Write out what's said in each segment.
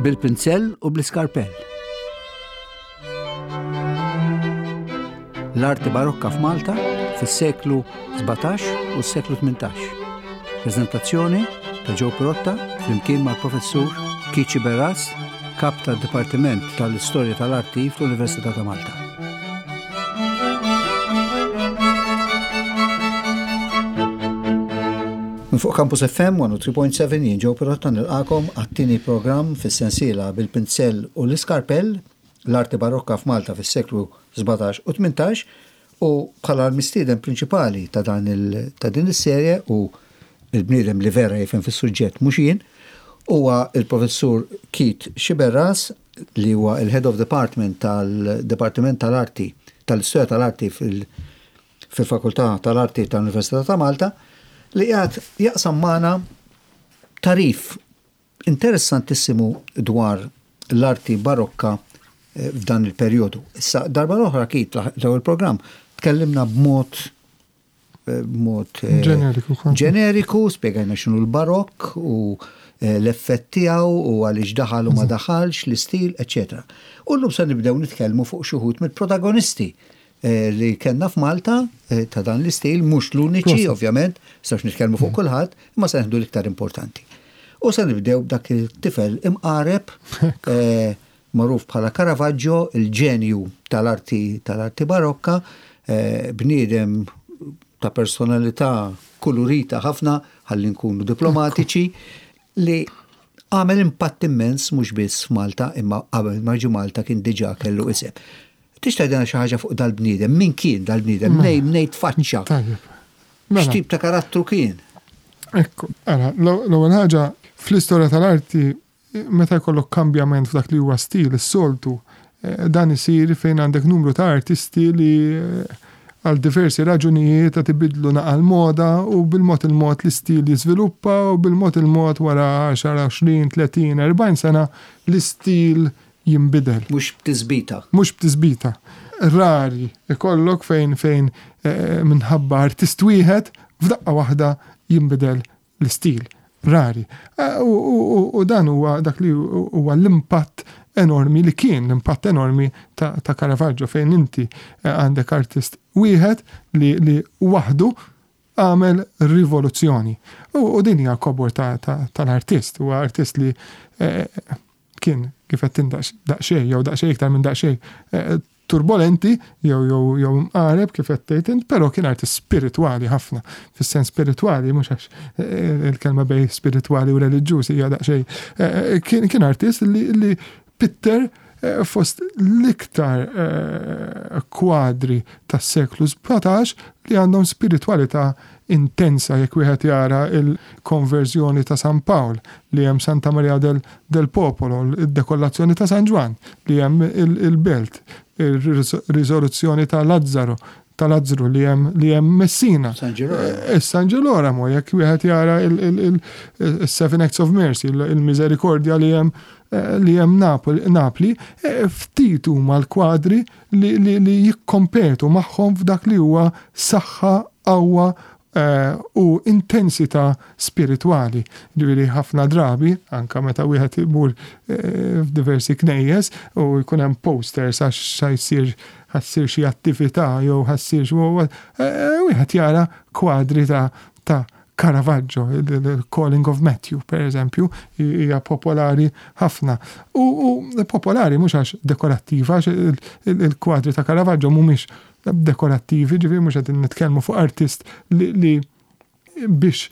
Bil-pinzell u bl-iskarpell. L-arti barokka f'Malta fis-seklu 17 u s-seklu 18. Prezentazzjoni ta' Joe Pirotta flimkien mal-professur Kici Berras, kap tad-Dipartiment tal-Istorja tal-Arti fl-Università ta' Malta. Minn fuq Campus FM 103.7 jien Joe Pirotta nilqakom għat-tieni programm fis-sensiela bil-pinzell u l-iskarpell, l-arti barokka f'Malta fis-seklu 17 u 18 u bħala l-mistieden prinċipali ta' dan il ta' din is-serje u l-bniedem li vera jifhem fis-suġġett mhux jien, huwa l-Professur Keith Sciberras li huwa l-Head of Department tal-Dipartiment tal-Arti tal-Istorja tal-Arti fil-Fakultà tal-Arti tal-Università ta' Malta li qiegħed jaqsam magħna tagħrif interessantissimu dwar l-arti barokka f'dan il-perjodu. Issa, darba l-oħra Keith, l-ewwel programm, tkellimna b'mod b'mod ġeneriku, ġeneriku, spjegajna x'inhu l-barokk u l-effett tiegħu u għaliex daħal u ma daħalx, l-istil, eċċetera. U llum se nibdew nitkellmu fuq xi wħud mill-protagonisti li kellna f'Malta ta' dan l-istil, mhux l-uniċi ovvjament, nistgħux nitkellmu fuq kulħadd, imma se nieħdu l-iktar importanti. U se nibdew b'dak it-tifel imqareb magħruf bħala Caravaggio, il-ġenju tal-arti tal-arti barokka, bniedem ta' personalità kulurita ħafna, ħalli nkunu diplomatiċi, li għamel impatt immens mhux biss f'Malta imma qabel ma ġie Malta kien diġà kellu isem. Tista' tgħidilna xi ħaġa fuq dal-bniedem? Min kien dal-bniedem? Mnejn mnejn tfaċċa? Tajjeb. Mela. X'tip ta' karattru kien? Ekku, ara, l-ewwel ħaġa fl-istorja tal-arti meta jkollok kambjament f'dak li huwa stil, is-soltu eh, dan isir fejn għandek numru ta' artisti li eh, għal diversi raġunijiet qed ibidlu naqa' l-moda u bil-mod il-mod l-istil jiżviluppa u bil-mod il-mod wara 10, 20, 30, 40 sena l-istil jinbidel. Mhux b'tisbita. Mhux b'tisbita. Rari ikollok fejn fejn eh, minħabba artist wieħed f'daqqa waħda jinbidel l-istil. Rari. Eh, u dan huwa dak li huwa l-impatt enormi li kien l-impatt enormi ta', ta Caravaggio fejn inti eh, għandek artist wieħed li, li waħdu għamel rivoluzzjoni. U, u din hija kobor tal-artist, huwa artist li eh, kien kif qed daqsxejn jew daqsxejn iktar minn daqsxejn eh, turbolenti jew jew jew mqareb kif qed tgħid int, però kien artist spiritwali ħafna. Fis-sens spiritwali mhux għax eh, il-kelma bej spiritwali u reliġjuż hija daqsxejn. Eh, kien kien artist li, li pitter fost l-iktar kwadri tas-seklu 17 li għandhom spiritwalità intensa jekk wieħed jara l-konverżjoni ta' San Pawl li hemm Santa Maria del, del Popolo, id-dekollazzjoni ta' San Ġwann li hemm il-belt, ir-riżoluzzjoni ta' Lazzaro, ta' Lazzru li hemm li hemm Messina. San Ġerolamo. Eh, San Ġerolamo, jekk wieħed jara il-Seven Acts of Mercy, il-Misericordja li hemm eh, li hemm Napli, eh, ftit huma l-kwadri li, li, li jikkompetu magħhom f'dak li huwa saħħa, qawwa eh, u intensità spiritwali. Ġifieri ħafna drabi, anka meta wieħed imur eh, f'diversi knejjes u jkun hemm posters għax jsir ħassir xi attività jew ħassir xi eh, wieħed jara kwadri ta' ta' Caravaggio, il-Calling of Matthew, per eżempju, hija popolari ħafna. U, u popolari mhux għax dekorattiva, għax il-kwadri ta' Caravaggio mhumiex dekorattivi, ġifieri mhux qed nitkellmu fuq artist li, li biex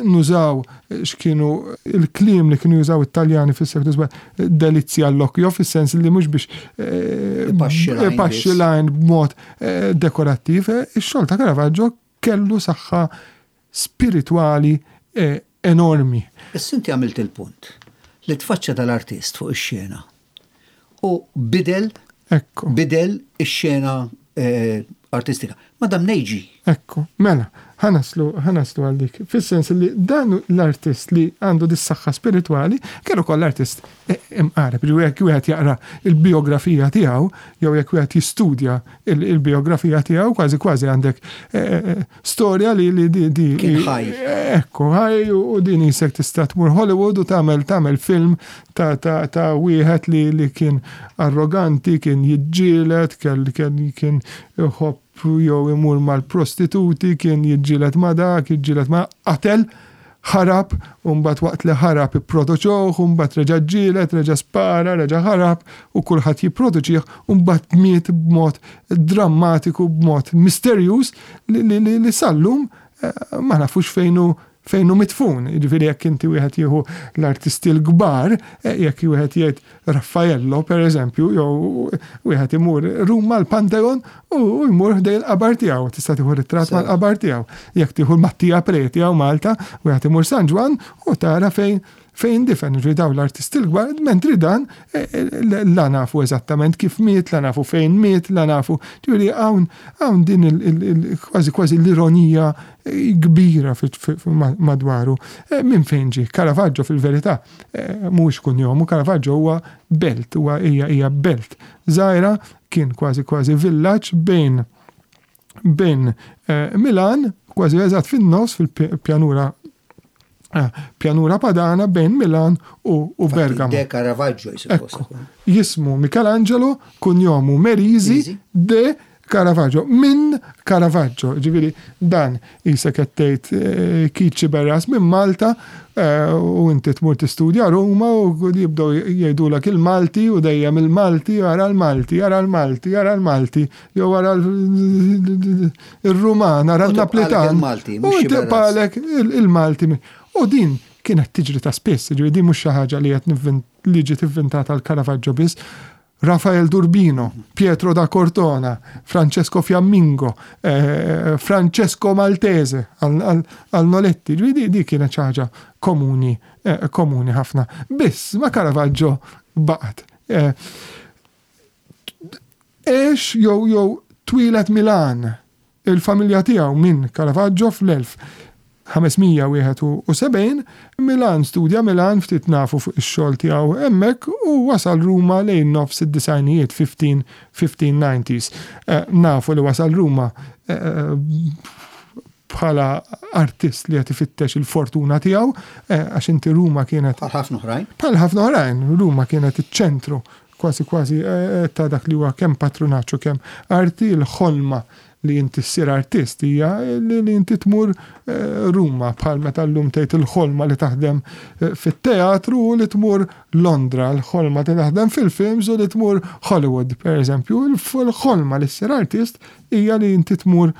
nużaw x'kienu il-kliem li kienu jużaw it-Taljani fis-seklu delizja all'occhio, fis-sens li mhux biex eh, ipaxxi lajn b'mod eh, dekorattiv, eh, ix-xogħol ta' Caravaggio kellu saħħa spiritwali enormi. Issa inti għamilt il-punt li tfaċċa dal-artist fuq ix-xena u bidel Ekku. bidel ix-xena eh, artistika. Ma dam nejġi. Ekku, mela. Ħa naslu, ħa naslu għal dik. Fis-sens li dan l-artist li għandu dis-saħħa spiritwali kien ukoll artist imqareb. Ġifieri jekk wieħed jaqra l-bijografija tiegħu jew jekk wieħed jistudja l-bijografija tiegħu kważi kważi għandek storja li li di di Kien ħaj. Ekku, ħaj u din isek tista' tmur Hollywood u tagħmel tagħmel film ta' ta' ta' wieħed li li kien arroganti, kien jiġġieled, kien iħobb jew imur mal-prostituti, kien jiġġieled ma' dak, jiġġieled ma' qatel, ħarab, u mbagħad waqt li ħarab ipproduċewh, u mbagħad reġa' ġġieled, reġa' spara, reġa' ħarab, u kulħadd jipproduċih, u mbagħad miet b'mod drammatiku, b'mod misterjuż li, li, li, li sal-lum eh, ma nafux fejn hu fejn hu midfun. Jiġifieri jekk inti wieħed jieħu l-artisti l-kbar, eh, jekk wieħed jgħid Raffaello pereżempju, jew wieħed imur Ruma l-Pantheon u jmur ħdej il-qabar tiegħu, tista' tieħu ritratt mal-qabar tiegħu. Jekk tieħu l-Mattia Preti hawn Malta, wieħed imur San Ġwann u tara fejn fejn difen, ġifieri dawn l-artisti l-kbar, mentri dan eh, eh, la nafu eżattament kif miet, la nafu fejn miet, la nafu. Ġifieri hawn hawn din kważi kważi l-ironija kbira madwaru. Eh, minn fejn ġie? Caravaggio fil-verità eh, mhuwiex kunjomu, Caravaggio huwa belt, huwa hija hija belt żgħira kien kważi kważi villaġġ bejn bejn eh, Milan, kważi eżatt fin-nofs fil-pjanura pjanura padana bejn Milan u, u Bergamo. De Caravaggio jismu. Jismu Michelangelo, kunjomu Merisi de Caravaggio, minn Caravaggio, ġifieri dan qisek qed tgħid eh, Keith Sciberras minn Malta eh, u inti tmur tistudja Ruma u jibdew jgħidulek il-Malti u dejjem il-Malti, ara l-Malti, ara l-Malti, ara l-Malti, jew ara il-Ruman, ara l-Naplitan. U tibqalek il-Malti. U din kienet tiġri ta' spiss, ġifieri din mhux xi ħaġa li qed li ġiet ivvintata l-Caravaggio biss, Rafael d'Urbino, Pietro da Cortona, Francesco Fiammingo, eh, Francesco Maltese għal Noletti, ġifieri di kienet xi ħaġa komuni, eh, komuni ħafna. Biss ma Caravaggio baqgħet. Eh, għex jew jew twieled Milan Il-familja tiegħu minn Caravaggio fl-1571, Milan studja Milan ftit nafu fuq ix-xogħol tiegħu hemmhekk u wasal Ruma lejn nofs id-disgħinijiet, 1590s. Nafu li wasal Ruma bħala artist li qed ifittex il-fortuna tiegħu għax inti Ruma kienet Bħal ħafna oħrajn. Bħal ħafna oħrajn, Ruma kienet iċ-ċentru Kważi kważi ta' dak li huwa kemm patrunaġġ u kemm arti, il-ħolma li inti ssir artist hija li inti tmur Ruma bħal meta llum tgħid il-ħolma li taħdem fit-teatru u li tmur Londra, il-ħolma li taħdem fil-films u li tmur Hollywood, pereżempju. Il-ħolma li ssir artist hija li inti tmur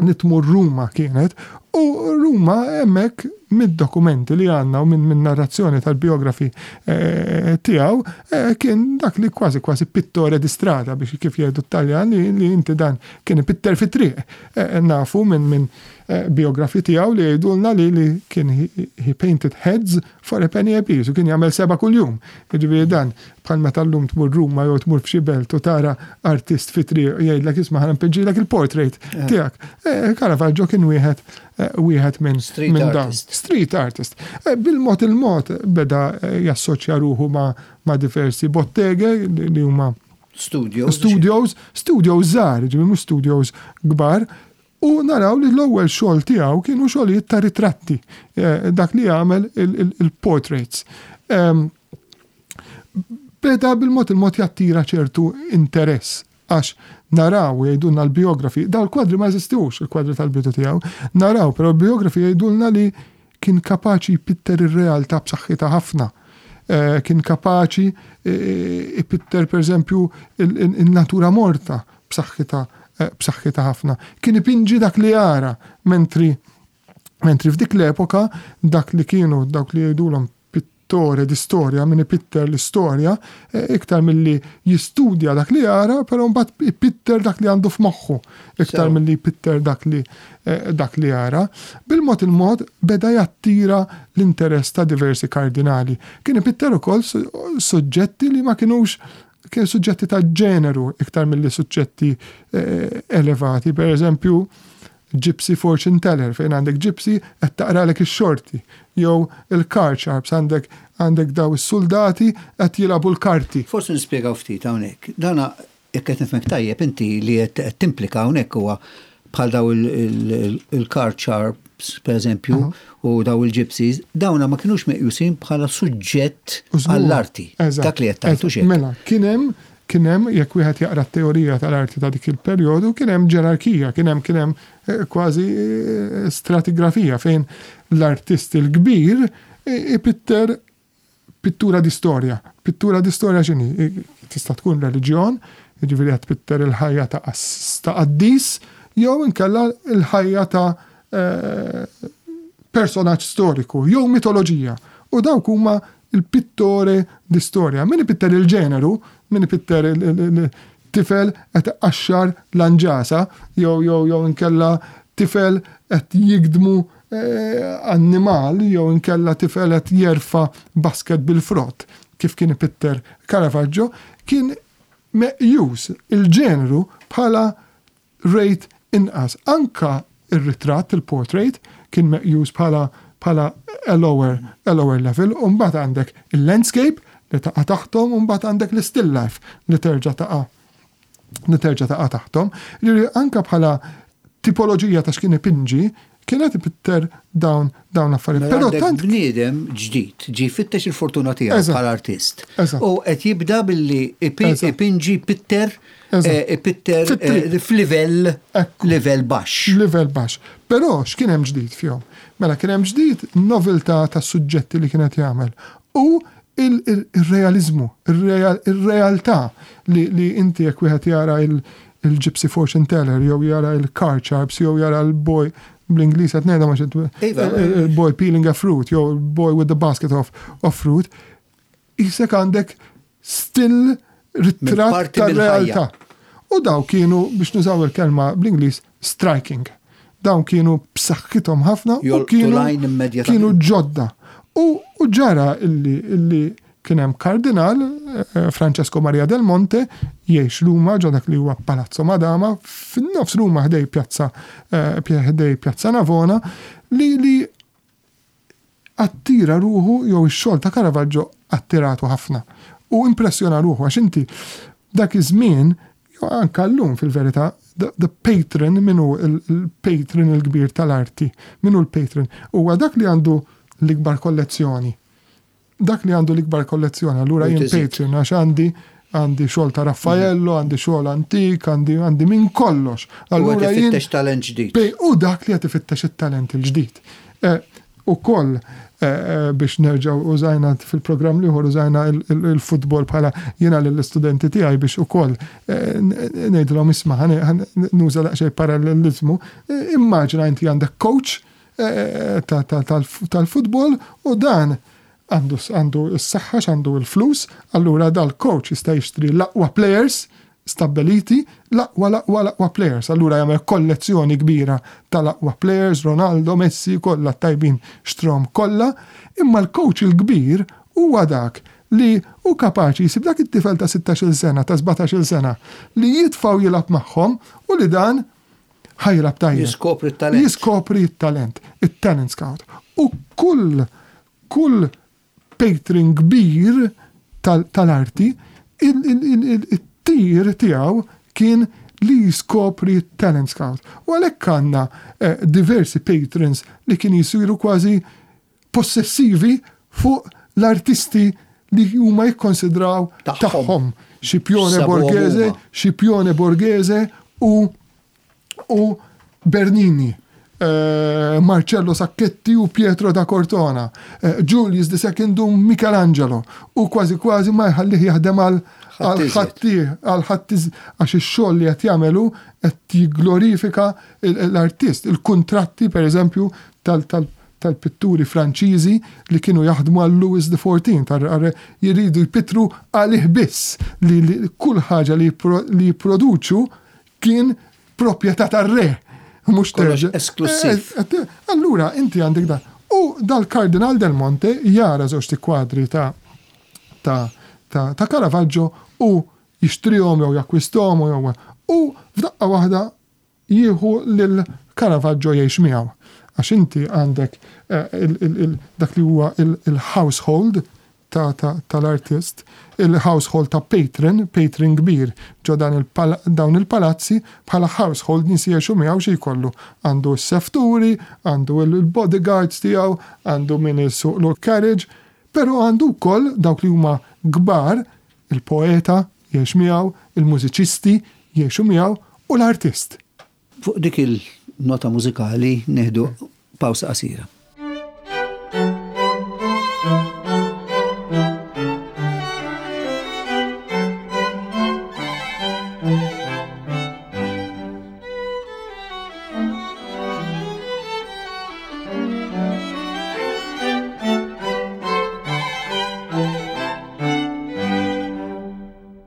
li tmur Ruma kienet, u Ruma hemmhekk mid-dokumenti li għandna u minn narrazzjoni tal-biografi eh, tiegħu eh, kien dak li kważi kważi pittore di strada biex kif jgħidu t-Taljan li inti dan kien ipitter fit-triq. Eh, nafu minn min biografi tiegħu li jgħidulna li li kien he painted heads For a penny a piece, u kien jagħmel sebgħa kuljum. Jiġifieri dan, bħal meta llum tmur Ruma jew tmur f'xi belt u tara artist fi triq jgħidlek isma' ħa npinġilek il-portrait eh. tiegħek. Eh, Caravaggio kien wieħed eh, wieħed minn minn dan. Street artist. Bil-mod il-mod beda jassoċja ruħu ma' ma' diversi bottege li huma studios. Studios, studios żgħar, ġifieri mhux studios kbar, U naraw li l-ewwel xogħol tiegħu kienu xogħlijiet ta' ritratti, dak li jagħmel il-portraits. Beda bil-mod il-mod jattira ċertu interess għax naraw jgħidulna l-biografi, daw l-kwadri ma jeżistux, il-kwadri tal-bidu tiegħu, naraw però l-biografi jgħidulna li kien kapaċi jpitter ir-realtà b'saħħitha ħafna. Kien kapaċi ipitter pereżempju in-natura morta b'saħħitha b'saħħitha ħafna. Kien ipinġi dak li jara, mentri mentri f'dik l-epoka dak li kienu dawk li jgħidulhom pittore di storja, min ipitter l-istorja, iktar milli jistudja dak li jara, però mbagħad ipitter dak li għandu f'moħħu, iktar milli jpitter dak li dak li jara. Bil-mod il-mod beda jattira l-interess ta' diversi kardinali. Kien ipitter ukoll suġġetti li ma kinux Kien suġġetti ta' ġeneru iktar milli suġġetti elevati. Per eżempju, Gypsy Fortune Teller fejn għandek gypsy qed taqralek ix-xorti, jew il-card sharps għandek għandek daw is-suldati qed jilagħbu l-karti. Forsi nispjegaw ftit hawnhekk. Dana jekk qed nifhmek tajjeb inti li qed timplika hawnhekk huwa bħal daw il-card sharps pereżempju u daw il-gypsies, dawna ma kinux meqjusin bħala suġġett għall-arti. Dak li qed tgħid hux hekk? Mela, kien hemm Kien hemm, jekk wieħed jaqra t-teorija tal-arti ta' dik il-perjodu, kien hemm ġerarkija, kien hemm kien hemm kważi stratigrafija fejn l-artist il-kbir ipitter pittura di storja. Pittura di storja x'inhi? Tista' tkun reliġjon, jiġifieri qed tpitter il-ħajja ta' ta' qaddis, jew inkella l-ħajja ta' personaġġ storiku jew mitoloġija. U dawk huma il-pittore di storia. Min ipitter il-ġeneru, min ipitter il-tifel qed iqaxxar l-anġasa jew jew jew inkella tifel qed jigdmu annimal jew inkella tifel qed jerfa' basket bil-frott, kif kien ipitter Caravaggio, kien meqjus il-ġeneru bħala rate inqas. Anka r-ritratt, il-portrait, kien meqjus bħala bħala a lower, a lower level, u mbagħad għandek il-landscape li taqa' taħthom u mbagħad għandek l-still life li terġa' taqa' li terġa' taqa' taħthom. Jiġifieri anka bħala tipoloġija ta' x'kien ipinġi, kien qed ipitter dawn dawn l-affarijiet. Mela Però tant bniedem ġdid ġie jfittex il-fortuna tiegħu bħala artist. U qed jibda billi ipinġi pitter eh, ipitter eh, f'livell livell baxx. Livell baxx. Però x'kien hemm ġdid fihom? Mela kien hemm ġdid noveltà tas-suġġetti li kien qed jagħmel u il-realizmu, il-realtà li inti jekk wieħed jara il-Gypsy Fortune Teller jew jara il-Car Sharps jew jara l-boy bl-Ingliż qed ngħidha ma iva. il-boy peeling a fruit jew boy with the basket of, of fruit, jisek għandek still ritratt tar-realtà. U daw kienu biex nużaw il-kelma bl-Ingliż striking. Dawn kienu b'saħħithom ħafna u kienu kienu ġodda. U ġara illi illi kien hemm kardinal eh, Francesco Maria del Monte jgħix Ruma ġo dak li huwa Palazzo Madama fin-nofs Ruma ħdej pjazza eh, ħdej pjazza Navona li li attira ruħu jew ix-xogħol ta' Caravaggio attiratu ħafna u impressjona ruħu għax inti dak iż-żmien jew anke llum fil-verità the, the patron min hu il-patron il-kbir tal-arti, min hu l-patron? Huwa dak li għandu l-ikbar kollezzjoni. Dak li għandu l-ikbar kollezzjoni, allura jien patron għax għandi għandi xogħol ta' Raffaello, għandi xogħol antik, għandi għandi minn kollox. Allura jien ifittex talent ġdid. U dak li qed ifittex it-talent il-ġdid. Eh, ukoll eh, eh, biex nerġgħu użajna fil-programm l-ieħor użajna il-futbol bħala jiena lill-istudenti tiegħi biex ukoll ngħidilhom isma' nuża daqsxejn parallelizmu. Immaġina inti għandek coach tal-futbol u dan għandu għandu s-saħħa għandu l-flus, allura dal-coach jista' jixtri l-aqwa players stabbiliti, l-aqwa l-aqwa l-aqwa players. Allura jagħmel kollezzjoni kbira tal-aqwa players, Ronaldo, Messi, kollha tajbin xtrom kollha, imma l-coach il-kbir huwa dak li hu kapaċi jsib dak it-tifel ta' 16-il sena, ta' 17-il sena li jitfgħu jilgħab magħhom u li dan ħa jilgħab tajjeb. Jiskopri t-talent. Jiskopri t-talent, it-talent scout. U kull kull patron kbir tal-arti, it-tir tiegħu kien li jiskopri t-talent scout. U għalhekk għandna eh, diversi patrons li kien jisiru kważi possessivi fuq l-artisti li huma jikkonsidraw tagħhom. Scipione Borghese, Scipione Borghese u u Bernini, eh, Marcello Sacchetti u Pietro da Cortona, eh, Julius II u Michelangelo u kważi kważi ma jħallih jaħdem għal ħatti għal ħatti għax ix-xogħol li qed jagħmelu qed jigglorifika l-artist, il-kuntratti pereżempju tal-pitturi Franċiżi li kienu jaħdmu għal Louis XIV, jridu jpittru għalih biss li kull ħaġa li jipproduċu kien proprjetà tar-re. Mhux terġa'. Esklusiv. Eh, eh, allura inti għandek dan. U dal-Kardinal del Monte jara żewġ kwadri ta' ta' ta' ta' Caravaggio u jixtrihom jew jakkwisthom jew u f'daqqa waħda jieħu lil Caravaggio jgħix miegħu. Għax inti għandek dak li huwa il-household tal-artist, il-household ta' patron, patron kbir ġo dawn il-palazzi bħala household nies jgħixu miegħu xi jkollu. Għandu s-sefturi, għandu l-bodyguards tiegħu, għandu min isuqlu l-carriage, però għandu wkoll dawk li huma kbar, il-poeta jgħix miegħu, il-mużiċisti jgħixu miegħu u l-artist. Fuq dik il-nota mużikali nieħdu pawsa qasira.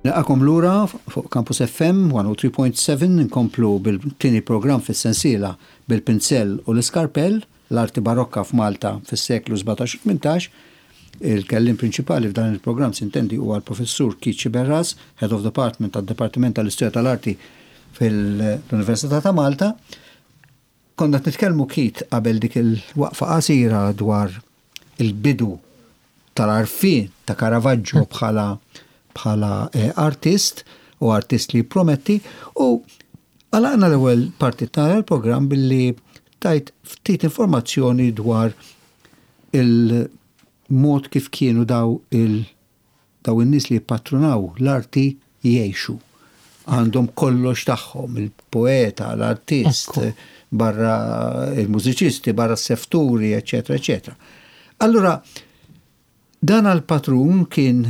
Nilqakom lura fuq Campus FM 103.7 nkomplu bil-tieni programm fis-sensiela Bil-Pinzell u l-Iskarpell, l-Arti Barokka f'Malta fis-seklu 17 u 18. Il-kelliem prinċipali f'dan il-programm sintendi huwa l-Professur Keith Sciberras, Head of Department tad-Dipartiment tal-Istorja tal-Arti fil-Università ta' Malta. Konna qed nitkellmu Keith qabel dik il-waqfa qasira dwar il-bidu tal-għarfien ta' Caravaggio bħala bħala eh, artist u artist li jipprometti u għalaqna l-ewwel parti tal-programm billi tajt ftit informazzjoni dwar il-mod kif kienu daw il Dawn in-nies li jippatrunaw l-arti jgħixu. Għandhom kollox tagħhom, il-poeta, l-artist, barra il-mużiċisti, barra s-sefturi, eċċetera, eċċetera. Allura, dan għall-patrun kien,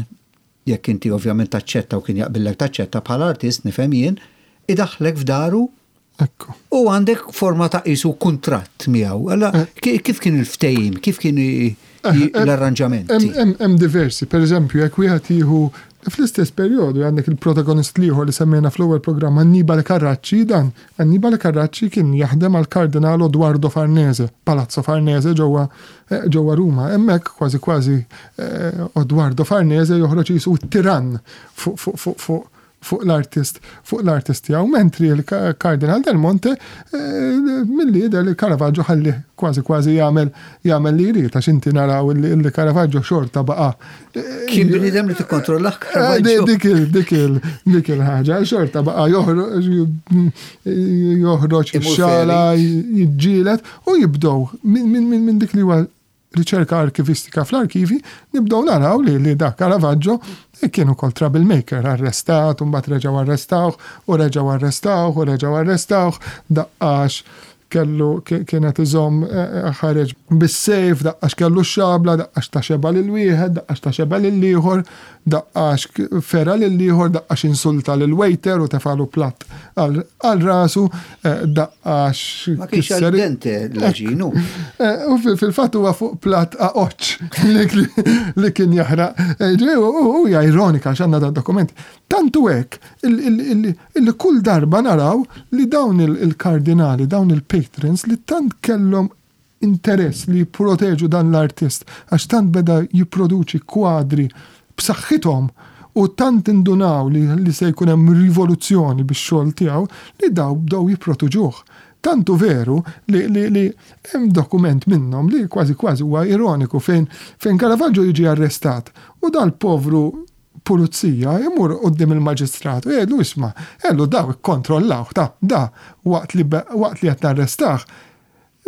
jekk inti ovvjament taċċetta u kien jaqbillek taċċetta bħala artist, nifhem jien, idaħħlek f'daru Ekku. U għandek forma ta' qisu kuntratt miegħu. Alla eh. kif kien il-ftehim, kif kien eh, eh, l-arranġamenti? Hemm diversi, per eżempju, jekk wieħed jieħu fl-istess perjodu għandek il-protagonist liħor li semmejna fl-ewwel programm Annibale Carracci, dan Annibale Carracci kien jaħdem għal Kardinal Odoardo Farnese, Palazzo Farnese ġewwa ġewwa Ruma. Hemmhekk kważi kważi Odoardo Farnese joħroġ jisu tiran fuq fuq l-artist fuq l-artist tiegħu, mentri l-Kardinal Del Monte eh, milli jidher li Caravaggio ħalli kważi kważi jagħmel jagħmel li jrid għax inti naraw li Caravaggio xorta baqa'. Eh, Kien bniedem li tikkontrollah eh, Caravaggio. Dik il dik il dik il-ħaġa xorta baqa' joħroġ xala jiġġielet u jibdew minn dik li huwa riċerka arkivistika fl-arkivi, nibdew naraw li li dak Caravaggio kien ukoll troublemaker, arrestat, u mbagħad reġgħu arrestawh, u reġgħu arrestawh, u reġgħu arrestawh, daqqax kellu kien qed iżomm ħareġ bis-sejf, daqqax kellu x-xabla, daqqax ta xebgħa lil wieħed, daqqax ta xebgħa lil ieħor, Daqqax fera lill-ieħor, daqqax insulta lill-waiter u tefagħlu platt għal rasu, daqqax. Ma kienx al dente l-għaġin hu. U fil-fatt huwa fuq platt aqoċċ li kien jaħraq. U hija ironika għax għandna dan dokument. Tant hu hekk illi kull darba naraw li dawn il-kardinali, dawn il-patrons li tant kellhom interess li jipproteġu dan l-artist għax tant beda jipproduċi kwadri b'saħħithom u tant indunaw li, li se jkun hemm rivoluzzjoni bix-xogħol tiegħu li daw bdew jipprotuġuh. Tant hu veru li, li, li hemm dokument minnhom li kważi kważi huwa ironiku fejn fejn Caravaggio jiġi arrestat u dal-povru pulizija imur quddiem il-maġistrat u jgħidlu isma' għellu daw ikkontrollawh ta' da waqt li waqt li qed narrestah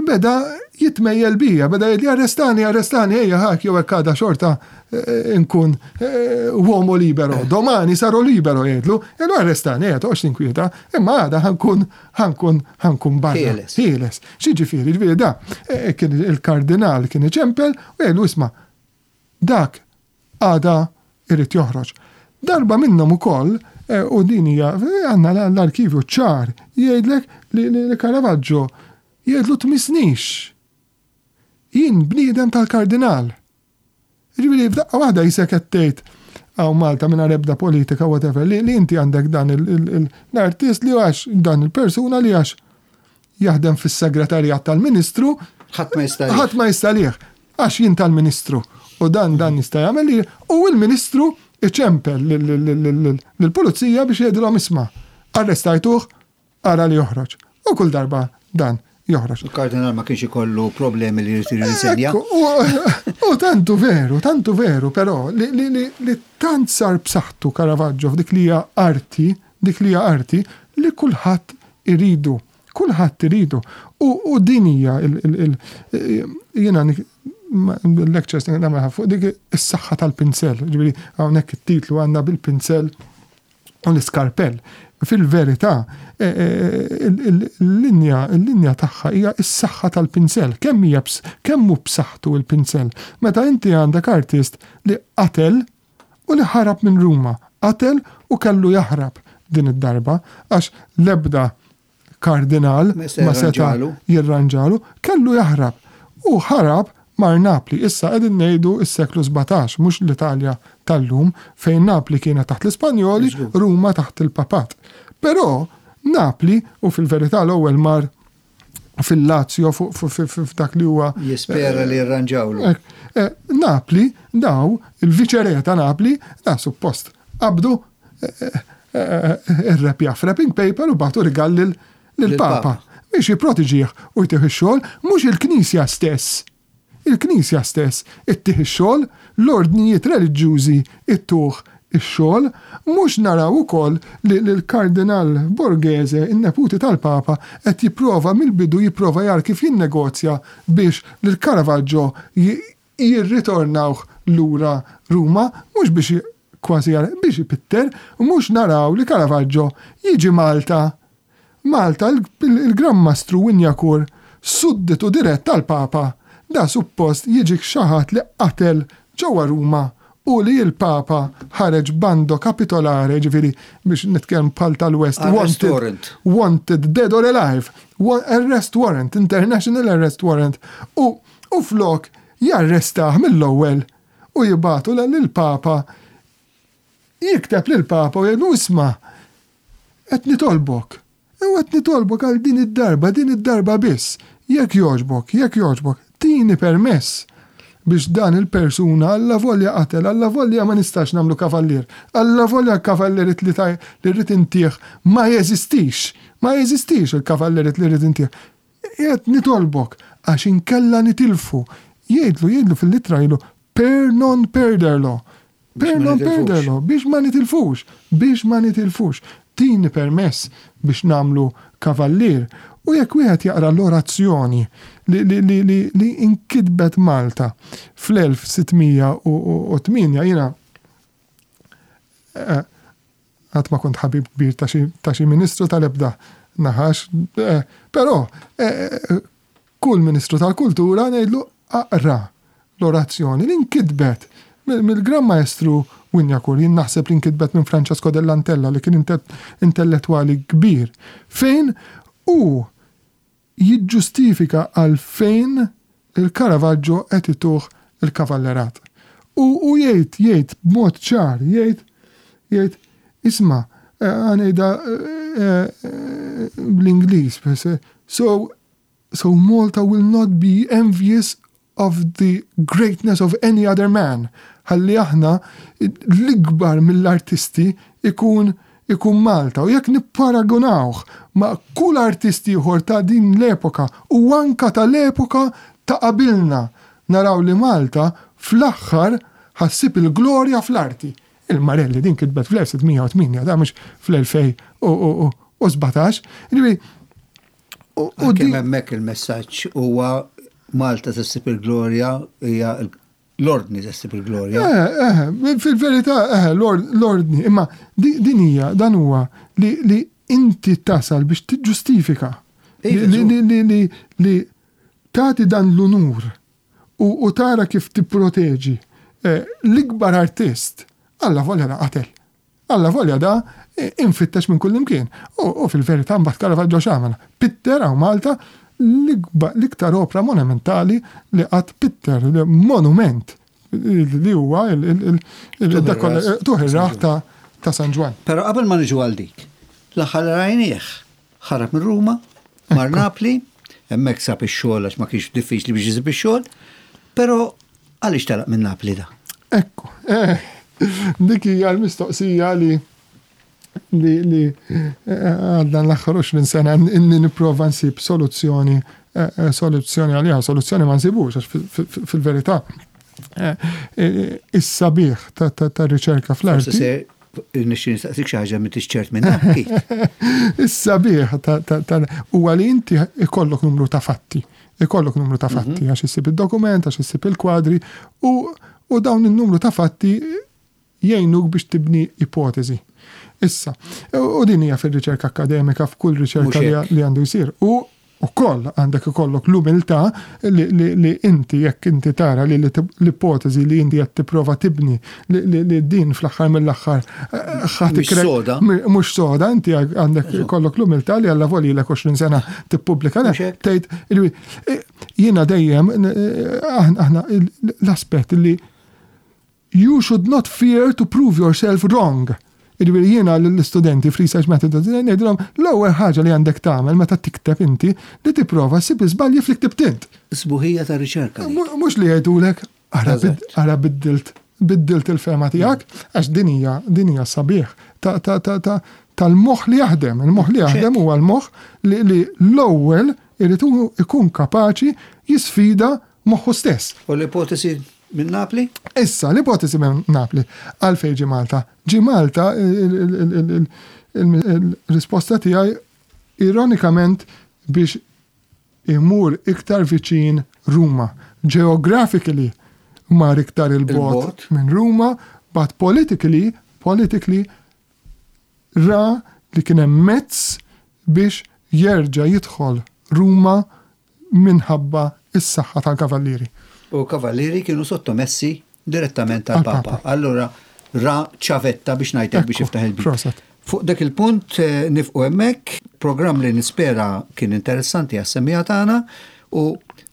Beda jitmejjel bija, beda jgħidli arrestani, arrestani, ejja ħak jew hekk għada xorta eh, nkun eh, uomo libero, domani saro libero jgħidlu, jgħidlu arrestani, ejja toqgħodx tinkwieta, imma għada ħankun ħankun ħankun barra. Ħieles. X'jiġifieri, ġifieri da eh, kien il-kardinal kien iċempel u jgħidlu isma' dak għada irid joħroġ. Darba minnhom ukoll, u din hija għandna l-arkivju ċar jgħidlek li Caravaggio jgħidlu tmissnix. Jien bniedem tal-kardinal. Jiġifieri f'daqqa waħda jisek qed tgħid hawn Malta mingħajr ebda politika whatever li inti għandek dan l-artist li għax dan il-persuna li għax jaħdem fis-segretarjat tal-Ministru. Ħadd ma jista' Ħadd ma jista' lih. Għax jien tal-Ministru. U dan dan jista' jagħmel li u l-Ministru iċempel lill-pulizija biex jgħidilhom isma' arrestajtuh ara li joħroġ. U kull darba dan. joħroġ. Il-kardinal ma kienx ikollu problemi li jrid jirriżenja. U tantu veru, tantu veru, però li, li, li, li tant sar b'saħħtu Caravaggio f'dik li hija arti, dik li hija arti, li kulħadd iridu. Kulħadd iridu. U, u din hija il, il, il, jiena lectures nagħmel fuq dik is-saħħa tal-pinsel. Ġifieri hawnhekk it-titlu għandna bil-pinsel u l-iskarpell. Fil-verità, e, e, il-linja il-linja tagħha hija s-saħħa tal-pinsel. Kemm hija kemm hu b'saħħtu l-pinsel. Meta inti għandek artist li qatel u li ħarab minn Ruma, qatel u kellu jaħrab din id-darba għax l-ebda kardinal ma seta' jirranġalu, kellu jaħrab. U ħarab mar Napli. Issa qegħdin ngħidu s-seklu 17, mhux l-Italja tal-lum, fejn Napli kienet taħt l-Ispanjoli, Ruma taħt il-Papat. Però Napli, u fil-verità l-ewwel mar fil-Lazio f'dak li huwa. Jispera li jirranġawlu. Eh, eh, Napli, daw, il-viċere ta' Napli, da suppost qabdu irrepja f'wrapping paper u bagħtu rigal lill-Papa biex jipprotiġih u jtih ix-xogħol, mhux il-Knisja stess. Il-Knisja stess ittih ix-xogħol, l-ordnijiet reliġjużi ittuh ix-xogħol, mhux naraw ukoll li l-Kardinal Borghese, in-neputi tal-Papa, qed jipprova mill-bidu jipprova jara kif jinnegozja biex lil Caravaggio jirritornawh lura Ruma, mhux biex kważi biex ipitter, u mhux naraw li Caravaggio jiġi Malta. Malta il-Gran Mastru Wignacourt, sudditu dirett tal-Papa, da suppost jiġik xi ħadd li qatel ġewwa Ruma u li l-Papa ħareġ bando capitolare, jiġifieri biex nitkellem bħal tal-West, wanted, wanted dead or alive, arrest warrant, international arrest warrant, u U flok jarrestah mill-ewwel u jibagħtu lill-Papa, jikteb lill-Papa u jgħidlu isma' qed nitolbok, u qed nitolbok għal din id-darba, din id-darba biss, jekk jogħġbok, jekk jogħġbok, tini permess biex dan il-persuna allavolja qatel, allavolja ma nistax nagħmlu kavallier, allavolja l-kavallerit li li rrid intih ma jeżistix, ma jeżistix il-kavallerit li rrid intih. Qiegħed nitolbok għax inkella nitilfu. Jgħidlu, jgħidlu fil-ittra jgħidlu per non perderlo. Per non perderlo, biex ma nitilfux, biex ma nitilfux. Tini permess biex nagħmlu kavallier. U jekk wieħed jaqra l-orazzjoni li, li, li, li, li inkitbet Malta fl-1608 jiena eh, Qatt ma kont ħabib kbir ta' xi ta' xi ministru tal-ebda naħa għax però kull ministru tal-kultura ngħidlu aqra l-orazzjoni li nkitbet mill-Gran Maestru Wignacourt, jien naħseb li nkitbet minn Francesco dell'Antella li kien intellettwali kbir, fejn hu jiġġustifika għalfejn il-Caravaggio qed ituh il-kavallerat. U hu jgħid, jgħid b'mod ċar, jgħid, jgħid, isma', ħa ngħidha bl-Ingliż, so, so Malta will not be envious of the greatness of any other man, ħalli aħna l-ikbar mill-artisti ikun ikun Malta u jekk nipparagunawh ma' kull artist ieħor ta' din l-epoka u anka tal-epoka ta' qabilna naraw li Malta fl-aħħar ħa ssib il-glorja fl-arti. Il-Marelli din kitbet fl-1608 da mhux fl-2017. Jiġifieri U kemm hemmhekk il-messaġġ huwa Malta se ssib il-glorja hija l-ordni se ssib il-glorja. Eh, eh, fil-verità, eh, l-ordni, imma din hija dan huwa li inti tasal biex tiġġustifika iva, li li tagħti dan l-unur u tara kif tipproteġi eh, l-ikbar artist alla volja qatel. Allavolja da imfittex minn kullimkien. U fil-verità mbagħad Caravaggio x'għamel? Pitter hawn Malta l-iktar opra monumentali li qatt pitter, monument li huwa il-tuħ ta' ta' San Ġwann. Però qabel ma niġu għal dik, l-aħħar li rajnieh ħarab minn Ruma, mar Napli, hemmhekk sab ix-xogħol għax ma kienx diffiċli biex isib ix-xogħol, però Għaliex telaq minn Napli da? Ekku, eh, dik hija l-mistoqsija li li li għal dan l-aħħar 20 sena inni nipprova nsib soluzzjoni soluzzjoni għaliha, soluzzjoni ma nsibux għax fil-verità is-sabiħ tar-riċerka fl-arti. Nixtieq nistaqsik xi ħaġa m'intix ċert minnha. Is-sabiħ huwa li inti ikollok numru ta' fatti. Ikollok numru ta' fatti għax issib id-dokument, għax issib il-kwadri u dawn in-numru ta' fatti jgħinuk biex tibni ipoteżi. Issa, u din hija fir-riċerka akkademika f'kull riċerka li għandu jsir. U ukoll għandek ikollok l-umiltà li inti jekk inti tara li l-ipoteżi li inti qed tipprova tibni li din fl-aħħar mill-aħħar ħadd soda. Mhux soda, inti għandek ikollok l-umiltà li alla volilek 20 sena tippubblika tgħid jiena dejjem aħna l-aspett li You should not fear to prove yourself wrong. Jiġifieri jiena lill-istudenti f'research method ngħidilhom l-ewwel ħaġa li għandek tagħmel meta tikteb inti li tipprova ssib l-iżbalji f'li ktibt int. Sbuħija ta' riċerka. Mhux li jgħidulek ara biddilt biddilt il-fehma tiegħek għax din hija din hija sabiħ tal-moħħ li jaħdem. Il-moħħ li jaħdem huwa l-moħħ li l-ewwel irid ikun kapaċi jisfida moħħu stess. U l-ipotesi minn Napli? Issa, l-ipotesi minn Napli. Għalfejn ġie Malta? Ġie Malta, il-risposta tiegħi ironikament biex imur iktar viċin Ruma. Geographically mar iktar il-bogħod minn Ruma, but politically, politically ra li kien hemm mezz biex jerġa' jidħol Ruma minħabba s-saħħa tal-kavallieri. U l-kavallieri kienu sottomessi direttament għall-Papa. Allura ra ċavetta biex ngħid hekk biex jiftaħ il-bieb. Proset. Fuq dak il-punt nifqu hemmhekk, programm li nispera kien interessanti għas-semmiegħa tagħna u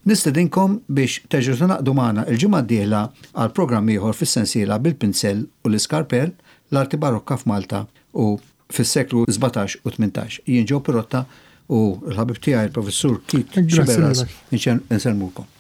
nistedinkom biex terġgħu tingħaqdu magħna l-ġimgħa d-dieħla għal programm ieħor fis-sensiela Bil-Pinzell u l-Iskarpell, l-Arti Barokka f'Malta u fis-seklu 17 u 18. Jien Joe Pirotta u l-ħabib tiegħi il-Professur Keith Sciberras insellmulkom.